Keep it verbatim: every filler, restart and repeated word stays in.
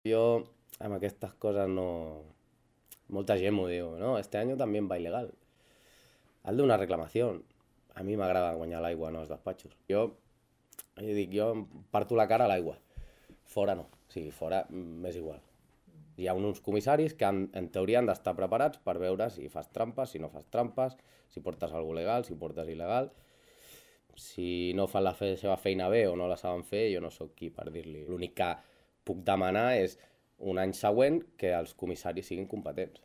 Jo amb aquestes coses no... Molta gent m'ho diu, no? Este año también va ilegal. Hazle una reclamación. A mi m'agrada guanyar l'aigua en els despatxos. Jo, jo dic, jo em parto la cara a l'aigua. Fora no. O sigui, fora mm, m'és igual. Hi ha uns comissaris que han, en teoria han d'estar preparats per veure si fas trampes, si no fas trampes, si portes alguna legal, si portes il·legal. Si no fan la fe seva feina bé o no la saben fer, jo no sóc qui per dir-li. L'únic que puc demanar és un any següent que els comissaris siguin competents.